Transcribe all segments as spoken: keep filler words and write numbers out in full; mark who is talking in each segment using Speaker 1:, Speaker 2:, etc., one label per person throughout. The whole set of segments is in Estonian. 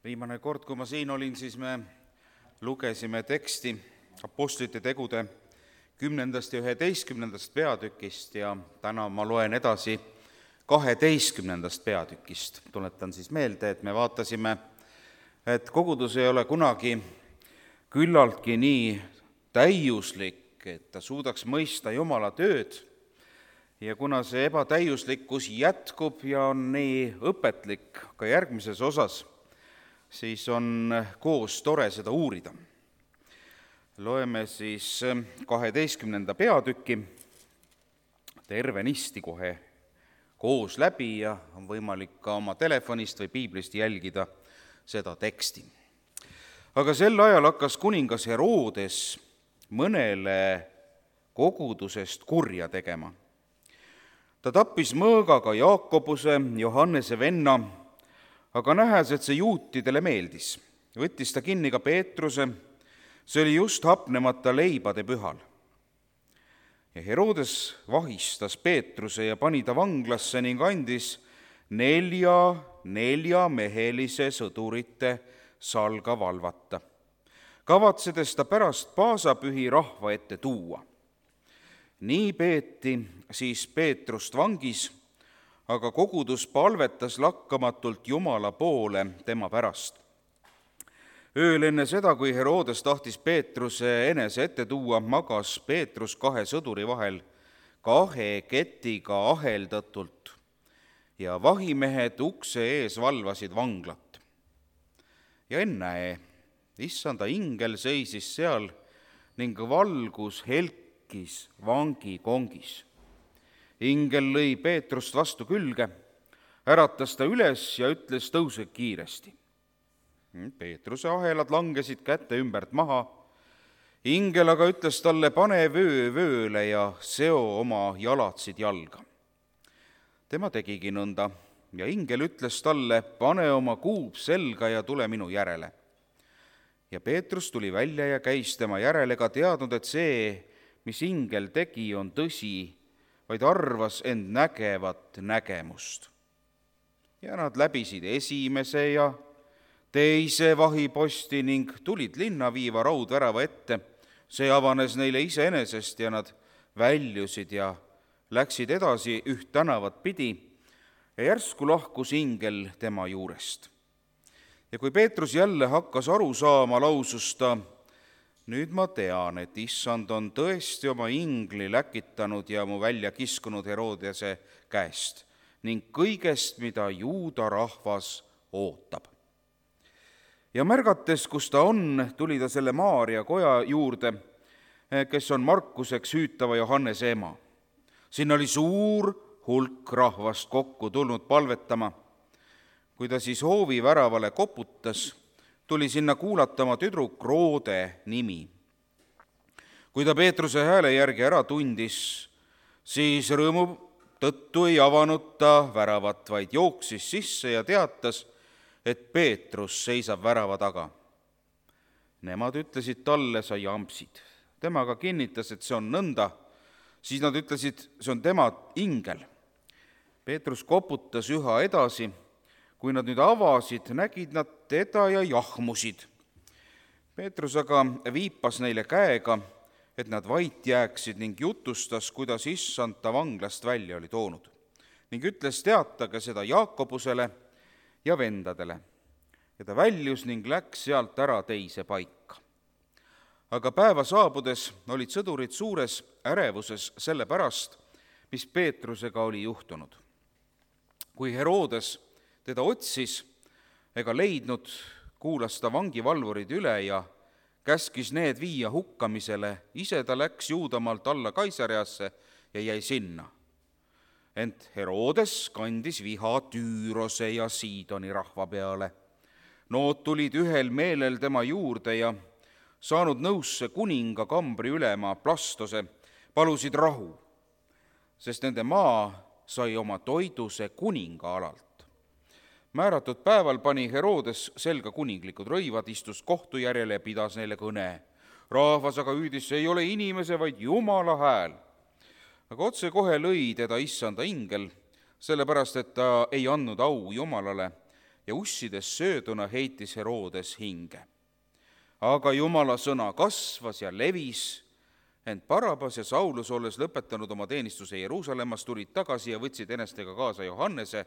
Speaker 1: Viimane kord, kui ma siin olin, siis me lugesime teksti Apostlite tegude kümnendast ja üheteistkümnendast peatükist ja täna ma loen edasi kaheteistkümnendast peatükist. Tuletan siis meelde, et me vaatasime, et kogudus ei ole kunagi küllaltki nii täiuslik, et ta suudaks mõista Jumala tööd, ja kuna see ebatäiuslikkus jätkub ja on nii õpetlik ka järgmises osas, siis on koos tore seda uurida. Loeme siis kaheteistkümnenda peatüki tervenisti kohe koos läbi ja on võimalik ka oma telefonist või piiblist jälgida seda teksti. Aga sel ajal hakkas kuningas Herodes mõnele kogudusest kurja tegema. Ta tappis mõõgaga Jaakobuse, Johannese venna, aga nähes, et see juutidele meeldis, võttis ta kinni ka Peetruse, see oli just hapnemata leibade pühal. Ja Herodes vahistas Peetruse ja pani ta vanglasse ning andis nelja neljamehelise sõdurite salga valvata, kavatsedes ta pärast paasapühi rahva ette tuua. Nii peeti siis Peetrust vangis, aga kogudus palvetas lakkamatult Jumala poole tema pärast. Ööl enne seda, kui Herodes tahtis Peetruse enese ette tuua, magas Peetrus kahe sõduri vahel kahe ketiga aheldatult ja vahimehed ukse ees valvasid vanglat. Ja ennäe, issanda ingel seisis seal ning valgus helkis vangi kongis. Ingel lõi Peetrust vastu külge, äratas ta üles ja ütles, tõuse kiiresti. Peetruse ahelad langesid käte ümbert maha. Ingel aga ütles talle, pane vöö vööle ja seo oma jalatsid jalga. Tema tegigi nõnda ja ingel ütles talle, pane oma kuub selga ja tule minu järele. Ja Peetrus tuli välja ja käis tema järele, ega teadnud, et see, mis ingel tegi, on tõsi, vaid arvas end nägevat nägemust. Ja nad läbisid esimese ja teise vahiposti ning tulid linna viiva raudvärava ette. See avanes neile iseenesest ja nad väljusid ja läksid edasi üht tänavat pidi ja järsku lahkus ingel tema juurest. Ja kui Peetrus jälle hakkas aru saama, lausus ta, nüüd ma tean, et issand on tõesti oma ingli läkitanud ja mu välja kiskunud Herodese käest ning kõigest, mida juuda rahvas ootab. Ja märgates, kus ta on, tuli ta selle Maaria koja juurde, kes on Markuseks hüütava Johannese ema. Siin oli suur hulk rahvast kokku tulnud palvetama. Kui ta siis hoovi väravale koputas, tuli sinna kuulatama tüdruk Roode nimi. Kui ta Peetruse hääle järgi ära tundis, siis rõõmu tõttu ei avanud ta väravat, vaid jooksis sisse ja teatas, et Peetrus seisab värava taga. Nemad ütlesid talle, sa jampsid. Temaga kinnitas, et see on nõnda. Siis nad ütlesid, see on tema ingel. Peetrus koputas üha edasi. Kui nad nüüd avasid, nägid nad teda ja jahmusid. Peetrus aga viipas neile käega, et nad vait jääksid ning jutustas, kuidas issand ta vanglast välja oli toonud. Ning ütles, teatage seda Jaakobusele ja vendadele. Ja ta väljus ning läks sealt ära teise paika. Aga päeva saabudes olid sõdurid suures ärevuses selle pärast, mis Peetrusega oli juhtunud. Kui Herodes teda otsis ega leidnud, kuulas ta vangivalvurid üle ja käskis need viia hukkamisele. Ise ta läks Juudamaalt alla Kaisariasse ja jäi sinna. Ent Herodes kandis viha Tüürose ja Siidoni rahva peale. Nood tulid ühel meelel tema juurde ja saanud nõusse kuninga kambri ülema Plastose, palusid rahu, sest nende maa sai oma toiduse kuninga alalt. Määratud päeval pani Herodes selga kuninglikud rõivad, istus kohtu järele ja pidas neile kõne. Rahvas aga hüüdis, see ei ole inimese, vaid Jumala hääl. Aga otse kohe lõi teda issanda ingel, sellepärast et ta ei andnud au Jumalale ja ussides sööduna heitis Herodes hinge. Aga Jumala sõna kasvas ja levis, ent Barabas ja Saulus, olles lõpetanud oma teenistuse Jeruusalemmas, tulid tagasi ja võtsid enestega kaasa Johannese,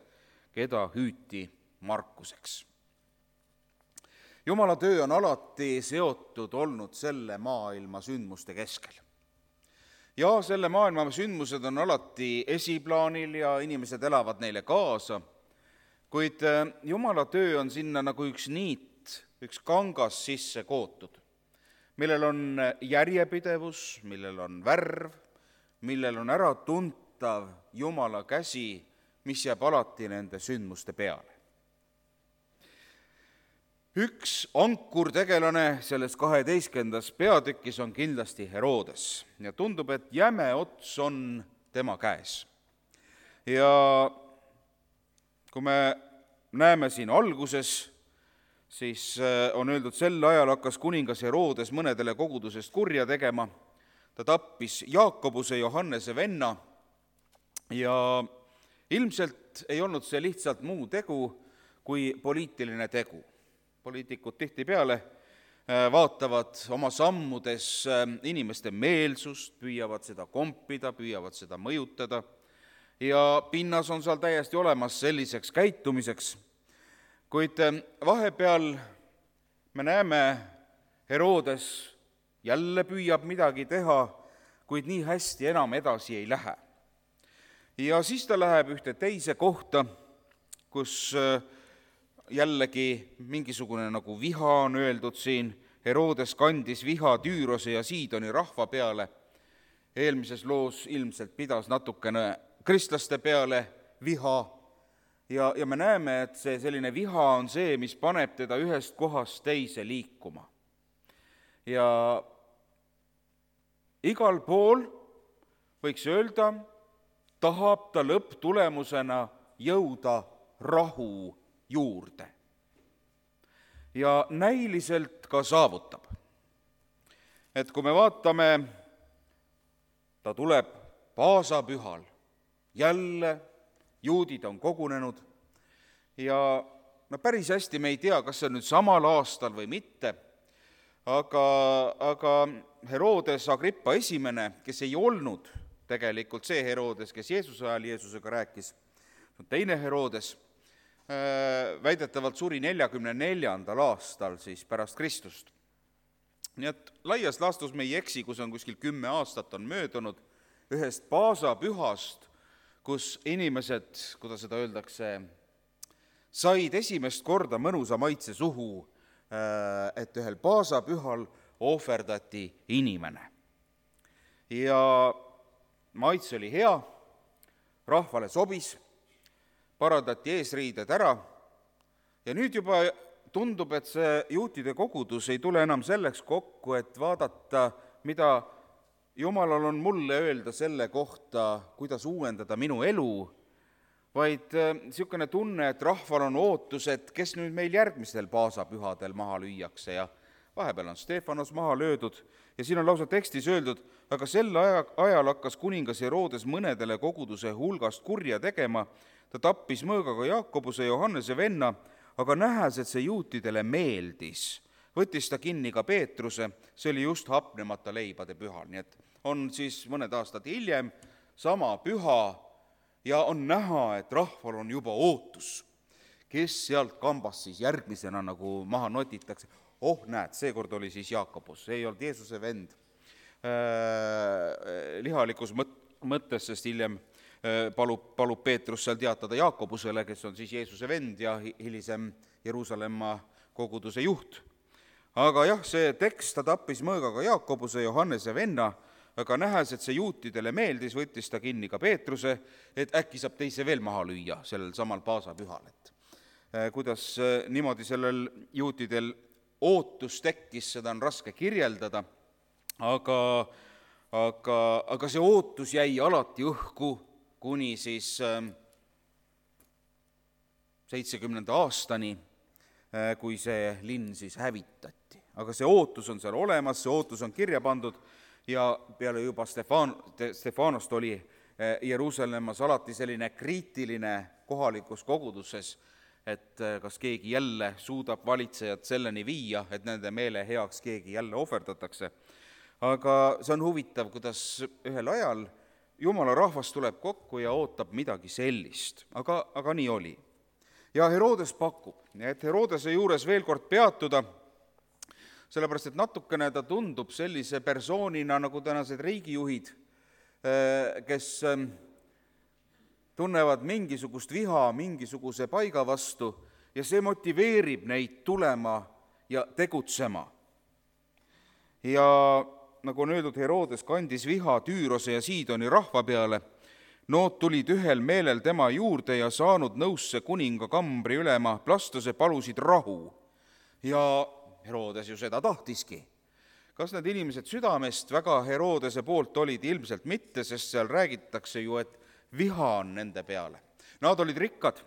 Speaker 1: keda hüüti Markuseks. Jumala töö on alati seotud olnud selle maailma sündmuste keskel. Ja selle maailma sündmused on alati esiplaanil ja inimesed elavad neile kaasa, kuid Jumala töö on sinna nagu üks niit, üks kangas sisse kootud, millel on järjepidevus, millel on värv, millel on ära tuntav Jumala käsi, mis jääb alati nende sündmuste peale. Üks ankurtegelane selles kaheteistkümnendas peatükis on kindlasti Herodes ja tundub, et jäme ots on tema käes. Ja kui me näeme siin alguses, siis on öeldud, sel ajal hakkas kuningas Herodes mõnedele kogudusest kurja tegema. Ta tappis Jaakobuse, Johannese venna ja ilmselt ei olnud see lihtsalt muu tegu kui poliitiline tegu. Poliitikud tihtipeale vaatavad oma sammudes inimeste meelsust, püüavad seda kompida, püüavad seda mõjutada ja pinnas on seal täiesti olemas selliseks käitumiseks. Kuid vahepeal me näeme, Herodes jälle püüab midagi teha, kuid nii hästi enam edasi ei lähe. Ja siis ta läheb ühte teise kohta, kus jällegi mingisugune nagu viha on öeldud siin. Herodes kandis viha Tüürose ja Siidoni rahva peale. Eelmises loos ilmselt pidas natukene kristlaste peale viha. Ja, ja me näeme, et see selline viha on see, mis paneb teda ühest kohast teise liikuma. Ja igal pool, võiks öelda, tahab ta lõpptulemusena jõuda rahu juurde. Ja näiliselt ka saavutab. Et kui me vaatame, ta tuleb paasapühal, jälle juudid on kogunenud ja no päris hästi me ei tea, kas see on nüüd samal aastal või mitte, aga, aga Herodes Agrippa esimene, kes ei olnud tegelikult see Herodes, kes Jeesuse ajal Jeesusega rääkis, teine Herodes, väidetavalt suri neljakümne neljandal aastal siis pärast Kristust. Nii et laias laastus me ei eksi, kus on kuskil kümme aastat on möödunud ühest paasapühast, kus inimesed, kuidas seda öeldakse, said esimest korda mõnusa maitse suhu, et ühel paasapühal ohverdati inimene. Ja maitse oli hea, rahvale sobis, parandati eesriided ära ja nüüd juba tundub, et see juutide kogudus ei tule enam selleks kokku, et vaadata, mida Jumalal on mulle öelda selle kohta, kuidas uuendada minu elu, vaid niisugune tunne, et rahval on ootus, et kes nüüd meil järgmistel paasapühadel maha lüüakse ja vahepeal on Stefanos maha löödud ja siin on lausa tekstis öeldud, aga sel ajal hakkas kuningas Herodes mõnedele koguduse hulgast kurja tegema. Ta tappis mõõgaga Jaakobuse Johannese venna, aga nähes, et see juutidele meeldis. Võttis ta kinni ka Peetruse, see oli just hapnemata leibade pühal. Nii et on siis mõned aastad hiljem sama püha ja on näha, et rahval on juba ootus, kes sealt kambast siis järgmisena nagu maha notitakse. Oh, näed, seekord oli siis Jaakobus, see ei olnud Jeesuse vend äh, lihalikus mõttes, sest hiljem palub, palub Peetrus seal teatada Jaakobusele, kes on siis Jeesuse vend ja hilisem Jeruusalemma koguduse juht. Aga jah, see tekst, ta tappis mõõgaga Jaakobuse Johannese venna, aga nähes, et see juutidele meeldis, võttis ta kinni ka Peetruse, et äkki saab teise veel maha lüüa sellel samal paasapühal. Et kuidas niimoodi sellel juutidel ootus tekkis, seda on raske kirjeldada, aga, aga, aga see ootus jäi alati õhku, kuni siis seitsekümnenda aastani, kui see linn siis hävitati. Aga see ootus on seal olemas, see ootus on kirja pandud ja peale juba Stefan, Stefanost oli Jeruusalemmas alati selline kriitiline kohalikus koguduses, et kas keegi jälle suudab valitsejat selleni viia, et nende meele heaks keegi jälle ohverdatakse. Aga see on huvitav, kuidas ühel ajal Jumala rahvas tuleb kokku ja ootab midagi sellist, aga, aga nii oli. Ja Herodes pakub, et Herodese juures veel kord peatuda, sellepärast et natukene ta tundub sellise persoonina nagu tänased riigijuhid, kes tunnevad mingisugust viha mingisuguse paiga vastu ja see motiveerib neid tulema ja tegutsema. Ja nagu on öeldud, Herodes kandis viha Tüürose ja Siidoni rahva peale. Nood tulid ühel meelel tema juurde ja saanud nõusse kuninga kambri ülema Blastuse palusid rahu. Ja Herodes ju seda tahtiski. Kas need inimesed südamest väga Herodese poolt olid? Ilmselt mitte, sest seal räägitakse ju, et viha on nende peale. Nad olid rikkad,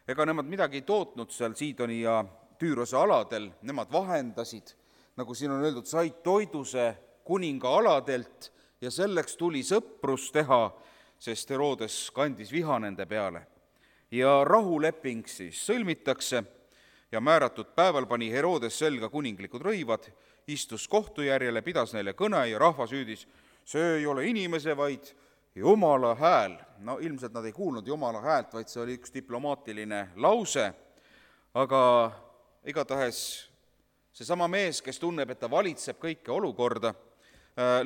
Speaker 1: ega nemad midagi ei tootnud seal Siidoni ja Tüürose aladel, nemad vahendasid, nagu siin on öeldud, said toiduse kuninga aladelt ja selleks tuli sõprus teha, sest Herodes kandis viha nende peale. Ja rahuleping siis sõlmitakse ja määratud päeval pani Herodes selga kuninglikud rõivad, istus kohtu järjele, pidas neile kõne ja rahvas hüüdis, see ei ole inimese, vaid Jumala hääl. No ilmselt nad ei kuulnud Jumala häält, vaid see oli üks diplomaatiline lause, aga igatahes seesama mees, kes tunneb, et ta valitseb kõike olukorda,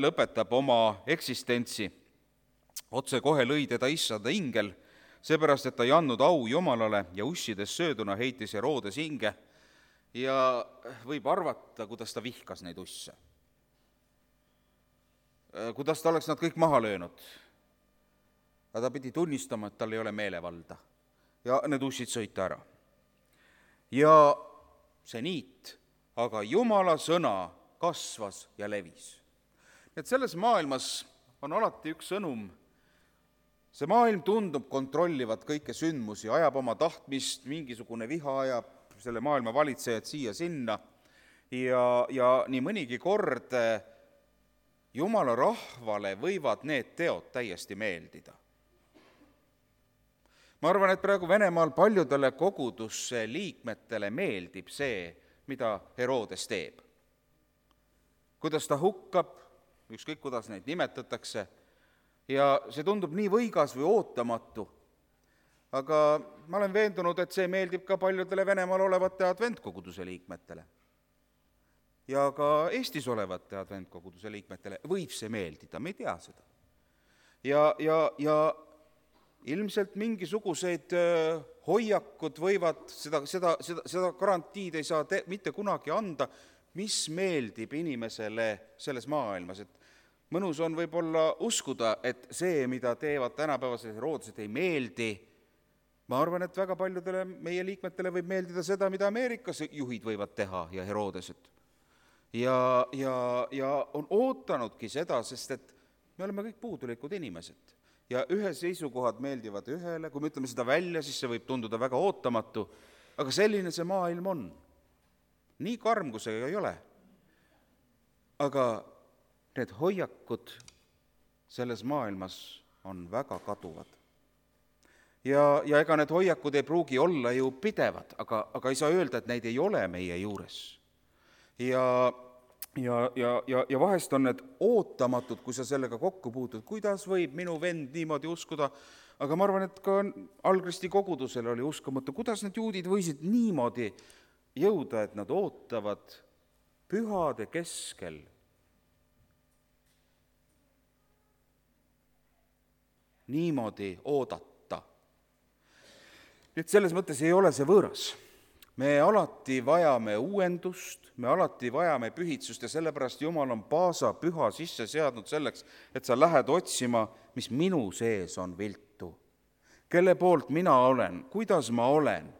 Speaker 1: lõpetab oma eksistentsi. Otse kohe lõi teda issanda ingel, seepärast, et ta ei andnud au Jumalale ja ussides sööduna heitis Herodes hinge ja võib arvata, kuidas ta vihkas neid usse. Kuidas ta oleks nad kõik maha löönud. Aga ta pidi tunnistama, et tal ei ole meelevalda ja need ussid sõita ära. Ja see niit, aga Jumala sõna kasvas ja levis. Et selles maailmas on alati üks sõnum. See maailm tundub kontrollivat kõike sündmusi, ajab oma tahtmist, mingisugune viha ajab selle maailma valitsejad siia-sinna ja, ja nii mõnigi kord Jumala rahvale võivad need teod täiesti meeldida. Ma arvan, et praegu Venemaal paljudele kogudusse liikmetele meeldib see, mida Herodes teeb. Kuidas ta hukkab, ükskõik kuidas neid nimetatakse, ja see tundub nii võigas või ootamatu, aga ma olen veendunud, et see meeldib ka paljudele Venemaal olevate adventkoguduse liikmetele. Ja ka Eestis olevate adventkoguduse liikmetele võib see meeldida, me ei tea seda. Ja, ja, ja ilmselt mingisugused hoiakud võivad, seda, seda, seda, seda garantiid ei saa te, mitte kunagi anda, mis meeldib inimesele selles maailmas, et mõnus on võib-olla uskuda, et see, mida teevad tänapäevased Herodesed, ei meeldi. Ma arvan, et väga paljudele meie liikmetele võib meeldida seda, mida Ameerikas juhid võivad teha ja Herodesed. Ja, ja, ja on ootanudki seda, sest et me oleme kõik puudulikud inimesed. Ja ühe seisukohad meeldivad ühele, kui me ütleme seda välja, siis see võib tunduda väga ootamatu, aga selline see maailm on. Nii karm, kui see ei ole. Aga need hoiakud selles maailmas on väga kaduvad. Ja, ja ega need hoiakud ei pruugi olla ju pidevad, aga, aga ei saa öelda, et neid ei ole meie juures. Ja, ja, ja, ja, ja vahest on need ootamatud, kui sa sellega kokku puutud, kuidas võib minu vend niimoodi uskuda, aga ma arvan, et ka Algristi kogudusel oli uskumatu, kuidas need juudid võisid niimoodi jõuda, et nad ootavad pühade keskel niimoodi oodata. Nüüd selles mõttes ei ole see võõras. Me alati vajame uuendust, me alati vajame pühitsust ja sellepärast Jumal on paasa püha sisse seadnud selleks, et sa lähed otsima, mis minu sees on viltu. Kelle poolt mina olen, kuidas ma olen.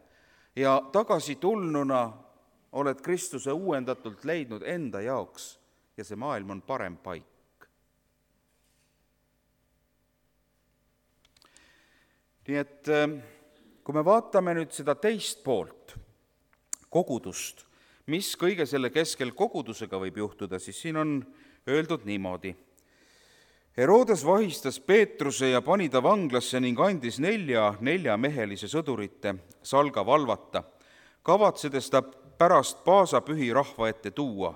Speaker 1: Ja tagasi tulnuna oled Kristuse uuendatult leidnud enda jaoks ja see maailm on parem paik. Nii et kui me vaatame nüüd seda teist poolt, kogudust, mis kõige selle keskel kogudusega võib juhtuda, siis siin on öeldud niimoodi. Herodes vahistas Peetruse ja pani ta vanglasse ning andis nelja neljamehelise sõdurite salga valvata, kavatsedes ta pärast paasapühi rahva ette tuua.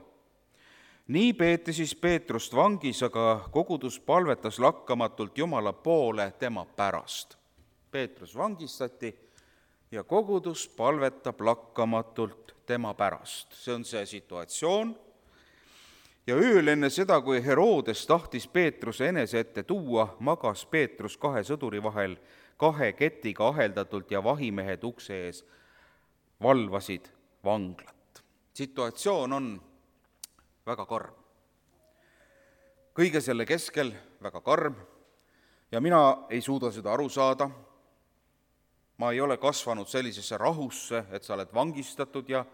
Speaker 1: Nii peeti siis Peetrust vangis, aga kogudus palvetas lakkamatult Jumala poole tema pärast. Peetrus vangistati ja kogudus palvetab lakkamatult tema pärast. See on see situatsioon. Ja ööl enne seda, kui Herodes tahtis Peetruse enese ette tuua, magas Peetrus kahe sõduri vahel kahe ketiga aheldatult ja vahimehed ukse ees valvasid vanglat. Situatsioon on väga karm. Kõige selle keskel väga karm ja mina ei suuda seda aru saada. Ma ei ole kasvanud sellisesse rahusse, et sa oled vangistatud ja,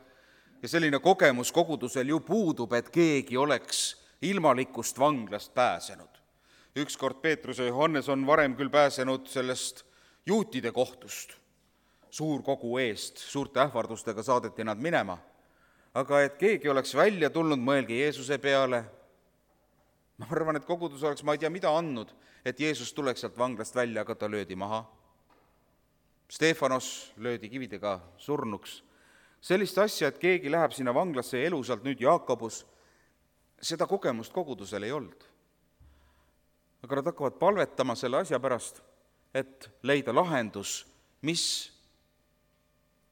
Speaker 1: ja selline kogemus kogudusel ju puudub, et keegi oleks ilmalikust vanglast pääsenud. Ükskord Peetrus ja Johannes on varem küll pääsenud sellest juutide kohtust. Suurkogu eest, suurte ähvardustega saadeti nad minema. Aga et keegi oleks välja tulnud, mõelge Jeesuse peale. Ma arvan, et kogudus oleks, ma ei tea, mida andnud, et Jeesus tuleks sealt vanglast välja, aga ta löödi maha. Stefanos löödi kividega surnuks. Sellist asja, et keegi läheb sinna vanglasse ja elusalt nüüd Jaakobus, seda kogemust kogudusel ei olnud. Aga nad hakkavad palvetama selle asja pärast, et leida lahendus, mis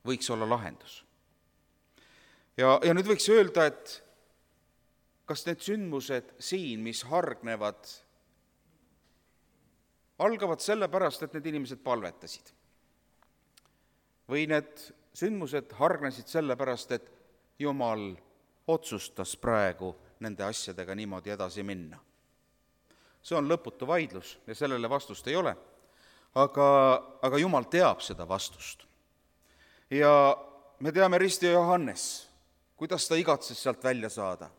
Speaker 1: võiks olla lahendus. Ja, ja nüüd võiks öelda, et kas need sündmused siin, mis hargnevad, algavad selle pärast, et need inimesed palvetasid. Või need sündmused hargnesid selle pärast, et Jumal otsustas praegu nende asjadega niimoodi edasi minna. See on lõputu vaidlus ja sellele vastust ei ole, aga, aga Jumal teab seda vastust. Ja me teame Risti ja Johannes, kuidas ta igatses sealt välja saada.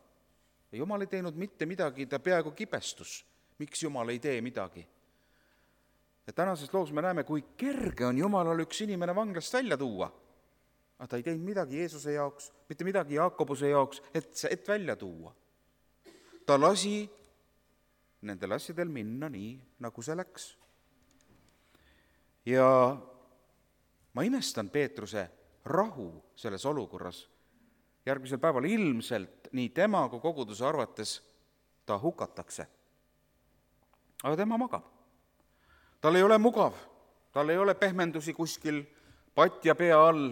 Speaker 1: Ja Jumal ei teinud mitte midagi, ta peaaegu kibestus. Miks Jumal ei tee midagi? Ja tänases loos me näeme, kui kerge on Jumalal üks inimene vanglast välja tuua. Aga ta ei teinud midagi Jeesuse jaoks, mitte midagi Jaakobuse jaoks, et, et välja tuua. Ta lasi nendel asjadel minna nii, nagu see läks. Ja ma imestan Peetruse rahu selles olukorras. Järgmisel päeval ilmselt nii tema kui koguduse arvates ta hukatakse. Aga tema magab. Tal ei ole mugav, tal ei ole pehmendusi kuskil patja pea all,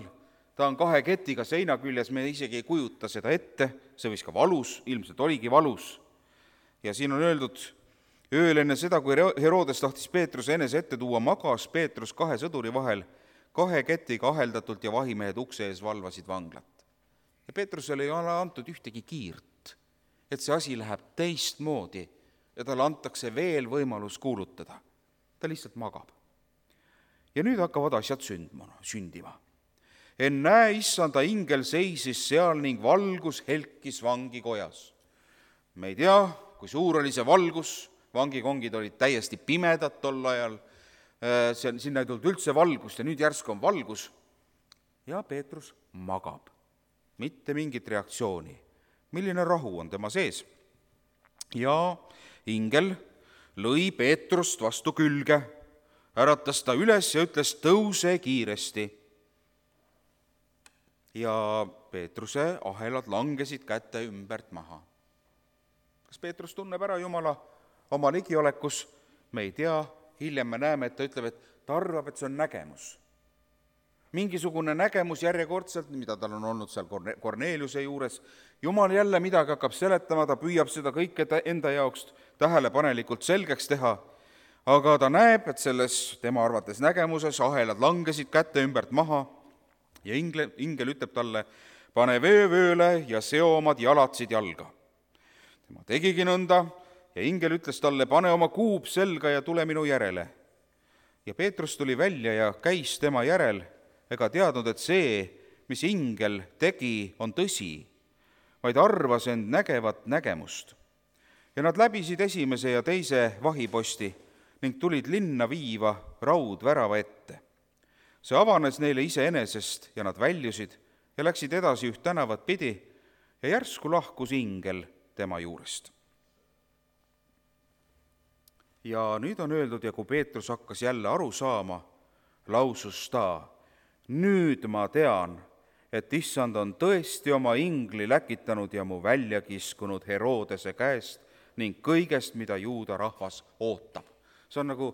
Speaker 1: ta on kahe ketiga seina küljes, me isegi ei kujuta seda ette, see võis ka valus, ilmselt oligi valus. Ja siin on öeldud, ööl enne seda, kui Herodes tahtis Peetruse enese ette tuua, magas Peetrus kahe sõduri vahel, kahe ketiga aheldatult ja vahimehed ukse ees valvasid vanglat. Ja Peetrusele ei ole antud ühtegi kiirt, et see asi läheb teistmoodi ja talle antakse veel võimalus kuulutada. Ta lihtsalt magab. Ja nüüd hakkavad asjad sündma, sündima. Ennäe, issanda ingel seisis seal ning valgus helkis vangikojas. Me ei tea, kui suur oli see valgus, vangikongid olid täiesti pimedad tol ajal, sinna ei tulnud üldse valgust ja nüüd järsku on valgus ja Peetrus magab. Mitte mingit reaktsiooni. Milline rahu on tema sees? Ja ingel lõi Peetrust vastu külge, äratas ta üles ja ütles, tõuse kiiresti. Ja Peetruse ahelad langesid käte ümbert maha. Kas Peetrus tunneb ära Jumala oma ligiolekus? Me ei tea, hiljem me näeme, et ta ütleb, et ta arvab, et see on nägemus. Mingisugune nägemus järjekordselt, mida tal on olnud seal Korneliuse juures. Jumal jälle midagi hakkab seletama, ta püüab seda kõike enda jaoks tähelepanelikult selgeks teha, aga ta näeb, et selles tema arvates nägemuses ahelad langesid kätte ümbert maha ja ingel, ingel ütleb talle, pane veevööle ja seo omad jalatsid jalga. Tema tegigi nõnda ja ingel ütles talle, pane oma kuub selga ja tule minu järele. Ja Peetrus tuli välja ja käis tema järel, ega teadnud, et see, mis ingel tegi, on tõsi, vaid arvas end nägevat nägemust. Ja nad läbisid esimese ja teise vahiposti ning tulid linna viiva raudvärava ette. See avanes neile iseenesest ja nad väljusid ja läksid edasi üht tänavat pidi ja järsku lahkus ingel tema juurest. Ja nüüd on öeldud, ja kui Peetrus hakkas jälle aru saama, lausus ta, nüüd ma tean, et issand on tõesti oma ingli läkitanud ja mu välja kiskunud Herodese käest ning kõigest, mida juuda rahvas ootab. See on nagu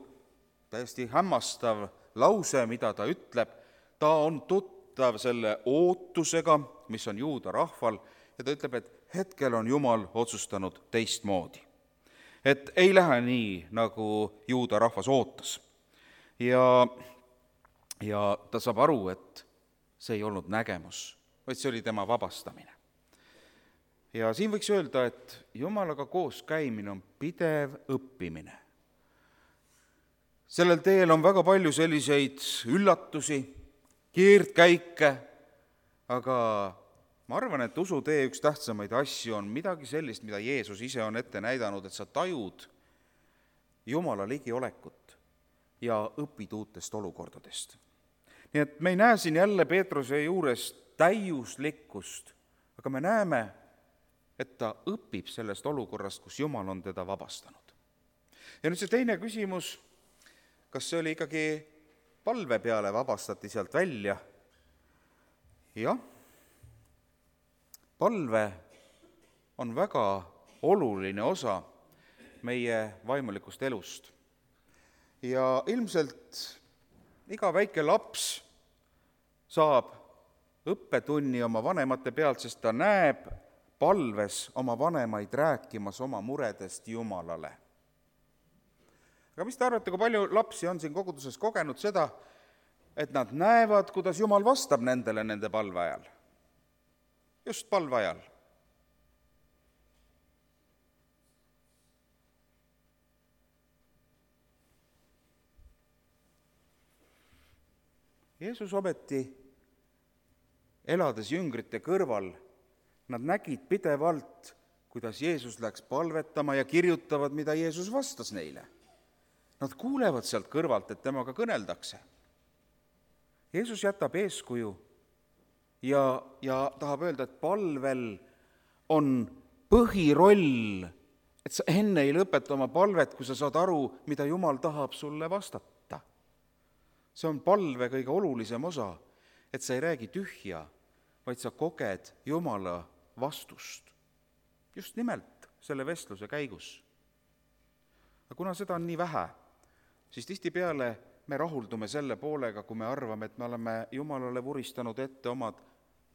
Speaker 1: täiesti hämmastav lause, mida ta ütleb. Ta on tuttav selle ootusega, mis on juuda rahval, ja ta ütleb, et hetkel on Jumal otsustanud teistmoodi. Et ei lähe nii, nagu juuda rahvas ootas. Ja, ja ta saab aru, et see ei olnud nägemus, vaid see oli tema vabastamine. Ja siin võiks öelda, et Jumalaga koos käimine on pidev õppimine. Sellel teel on väga palju selliseid üllatusi, keerdkäike, aga ma arvan, et usutee üks tähtsamaid asju on midagi sellist, mida Jeesus ise on ette näidanud, et sa tajud Jumala ligiolekut ja õpid uutest olukordadest. Nii et me ei näe siin jälle Peetruse juures täiuslikkust, aga me näeme, et ta õpib sellest olukorrast, kus Jumal on teda vabastanud. Ja nüüd see teine küsimus, kas see oli ikkagi palve peale vabastati sealt välja? Jah, palve on väga oluline osa meie vaimulikust elust. Ja ilmselt iga väike laps saab õppetunni oma vanemate pealt, sest ta näeb palves oma vanemaid rääkimas oma muredest Jumalale. Aga mis te arvate, kui palju lapsi on siin koguduses kogenud seda, et nad näevad, kuidas Jumal vastab nendele nende palve ajal? Just palve ajal. Jeesus ometi, elades jüngrite kõrval, nad nägid pidevalt, kuidas Jeesus läks palvetama ja kirjutavad, mida Jeesus vastas neile. Nad kuulevad sealt kõrvalt, et temaga kõneldakse. Jeesus jätab eeskuju ja, ja tahab öelda, et palvel on põhiroll, et sa enne ei lõpeta oma palvet, kui sa saad aru, mida Jumal tahab sulle vastata. See on palve kõige olulisem osa, et sa ei räägi tühja, vaid sa koged Jumala vastust. Just nimelt selle vestluse käigus. Aga kuna seda on nii vähe, siis tihtipeale me rahuldume selle poolega, kui me arvame, et me oleme Jumalale vuristanud ette omad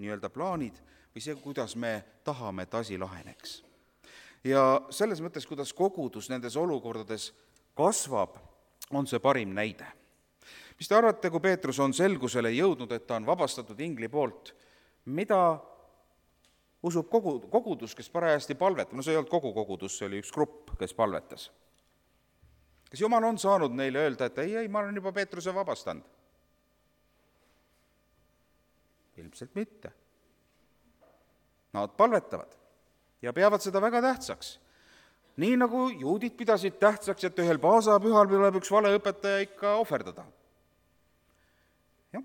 Speaker 1: nii-öelda plaanid või see, kuidas me tahame, et asi laheneks. Ja selles mõttes, kuidas kogudus nendes olukordades kasvab, on see parim näide. Mis te arvate, kui Peetrus on selgusele jõudnud, et ta on vabastatud ingli poolt, mida usub kogu, kogudus, kes parajasti palvetab? No see ei olnud kogu kogudus, see oli üks grupp, kes palvetas. Kas Jumal on saanud neile öelda, et ei, ei, ma olen juba Peetruse vabastanud? Ilmselt mitte. Nad palvetavad ja peavad seda väga tähtsaks. Nii nagu juudid pidasid tähtsaks, et ühel paasapühal tuleb üks valeõpetaja ikka ohverdada. Jah.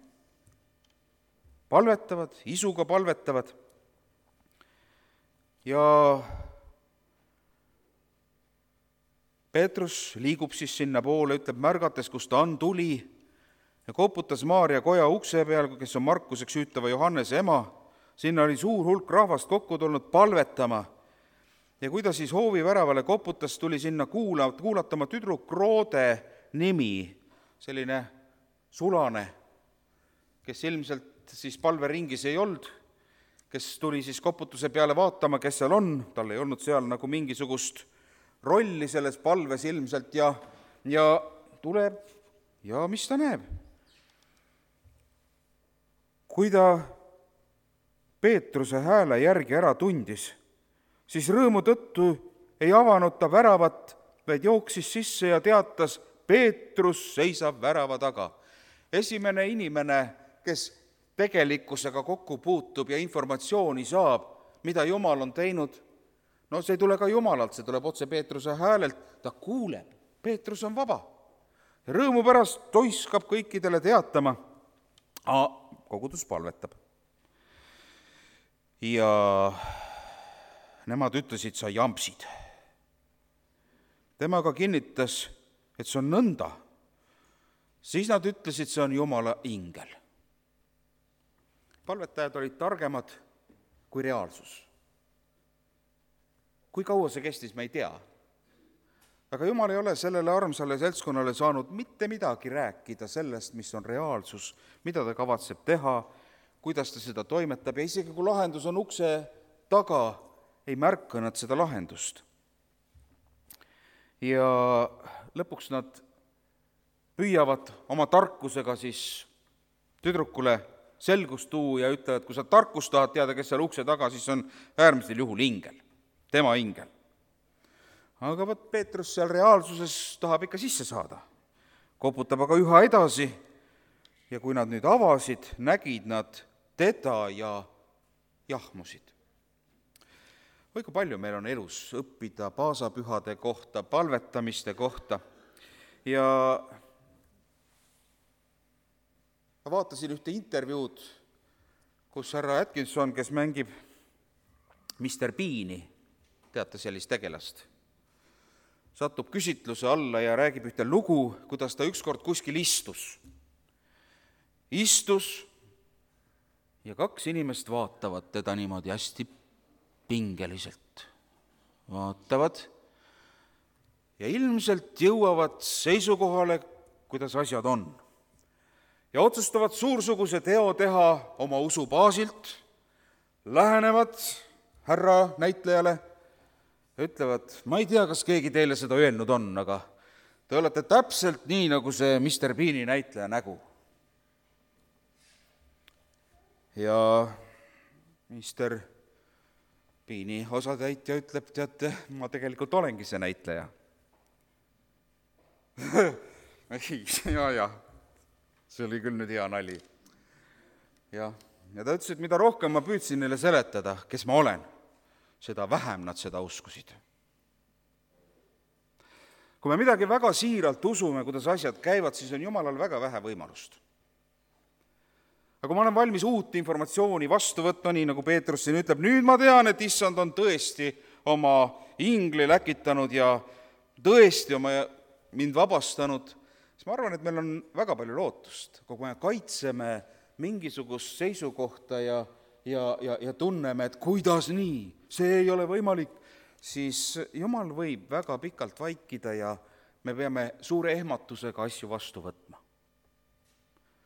Speaker 1: Palvetavad, isuga palvetavad ja Peetrus liigub siis sinna poole, ütleb märgates, kus ta on, tuli ja koputas Maaria koja ukse peal, kes on Markuseks hüütava Johannese ema. Sinna oli suur hulk rahvast kokku tulnud palvetama. Ja kui ta siis hoovi väravale koputas, tuli sinna kuula, kuulatama tüdruk Roode nimi, selline sulane, kes ilmselt siis palveringis ei olnud, kes tuli siis koputuse peale vaatama, kes seal on, tal ei olnud seal nagu mingisugust rolli selles palves ilmselt ja, ja tuleb ja mis ta näeb? Kui ta Peetruse hääle järgi ära tundis, siis rõõmu tõttu ei avanud ta väravat, vaid jooksis sisse ja teatas, Peetrus seisab värava taga. Esimene inimene, kes tegelikkusega kokku puutub ja informatsiooni saab, mida Jumal on teinud, no see ei tule ka Jumalalt, see tuleb otse Peetruse häälelt, ta kuuleb, Peetrus on vaba. Ja rõõmu pärast toiskab kõikidele teatama, a kogudus palvetab. Ja nemad ütlesid, sa jampsid. tema aga kinnitas, et see on nõnda. Siis nad ütlesid, see on Jumala ingel. Palvetajad olid targemad kui reaalsus. Kui kaua see kestis, me ei tea. Aga Jumal ei ole sellele armsale seltskonnale saanud mitte midagi rääkida sellest, mis on reaalsus, mida ta kavatseb teha, kuidas ta seda toimetab, ja isegi kui lahendus on ukse taga, ei märka nad seda lahendust. Ja lõpuks nad püüavad oma tarkusega siis tüdrukule selgust tuua ja ütlevad, kui sa tarkust tahad teada, kes seal ukse taga, siis on äärmisel juhul ingel, tema ingel. Aga võt Peetrus seal reaalsuses tahab ikka sisse saada. Koputab aga üha edasi ja kui nad nüüd avasid, nägid nad teda ja jahmusid. Või kui palju meil on elus õppida paasapühade kohta, palvetamiste kohta. Ja ma vaatasin ühte intervjuud, kus härra Atkinson, kes mängib mister Beani, teate sellist tegelast, satub küsitluse alla ja räägib ühte lugu, kuidas ta ükskord kuskil istus. Istus ja kaks inimest vaatavad teda niimoodi hästi pingeliselt. Vaatavad ja ilmselt jõuavad seisukohale, kuidas asjad on. Ja otsustavad suursuguse teo teha oma usu baasilt, lähenevad härra näitlejale, ütlevad, ma ei tea, kas keegi teile seda öelnud on, aga te olete täpselt nii, nagu see mister Beani näitleja nägu. Ja mister Beani osatäitja ütleb, teate, ma tegelikult olengi see näitleja. ja, ja, see oli küll nüüd hea nali. Ja, ja ta ütles, et mida rohkem ma püüdsin neile seletada, kes ma olen, seda vähem nad seda uskusid. Kui me midagi väga siiralt usume, kuidas asjad käivad, siis on Jumalal väga vähe võimalust. Aga kui ma olen valmis uut informatsiooni vastu võtma, nii nagu Peetrus siin ütleb, nüüd ma tean, et issand on tõesti oma ingli läkitanud ja tõesti oma mind vabastanud, siis ma arvan, et meil on väga palju lootust, kui me kaitseme mingisugust seisukohta ja Ja, ja, ja tunneme, et kuidas nii, see ei ole võimalik, siis Jumal võib väga pikalt vaikida ja me peame suure ehmatusega asju vastu võtma.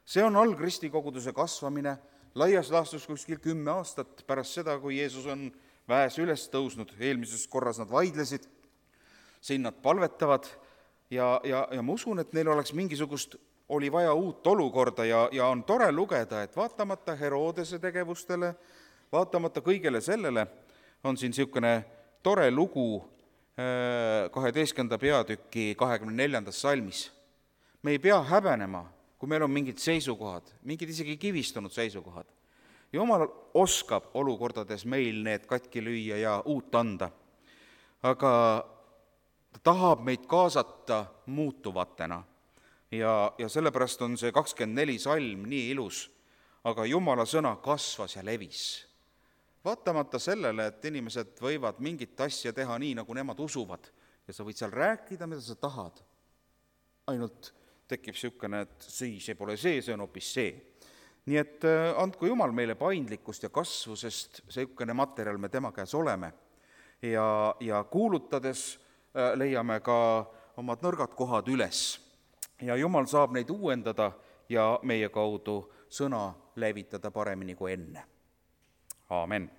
Speaker 1: See on algristikoguduse kasvamine, laias laastus kuskil kümme aastat pärast seda, kui Jeesus on väes üles tõusnud, eelmises korras nad vaidlesid, siin nad palvetavad ja, ja, ja ma usun, et neil oleks mingisugust oli vaja uut olukorda ja, ja on tore lugeda, et vaatamata Herodese tegevustele, vaatamata kõigele sellele, on siin niisugune tore lugu kaheteistkümnenda peatüki kahekümne neljandas salmis. Me ei pea häbenema, kui meil on mingid seisukohad, mingid isegi kivistunud seisukohad. Jumal oskab olukordades meil need katki lüüa ja uut anda, aga ta tahab meid kaasata muutuvatena. Ja, ja sellepärast on see kakskümmend neli salm nii ilus, aga Jumala sõna kasvas ja levis. Vaatamata sellele, et inimesed võivad mingit asja teha nii, nagu nemad usuvad, ja sa võid seal rääkida, mida sa tahad. Ainult tekib niisugune, et see, see pole see, see on hoopis see. Nii et andku Jumal meile paindlikkust ja kasvu, sest niisugune materjal me tema käes oleme. Ja, ja kuulutades leiame ka omad nõrgad kohad üles. Ja Jumal saab neid uuendada ja meie kaudu sõna levitada paremini kui enne. Aamen.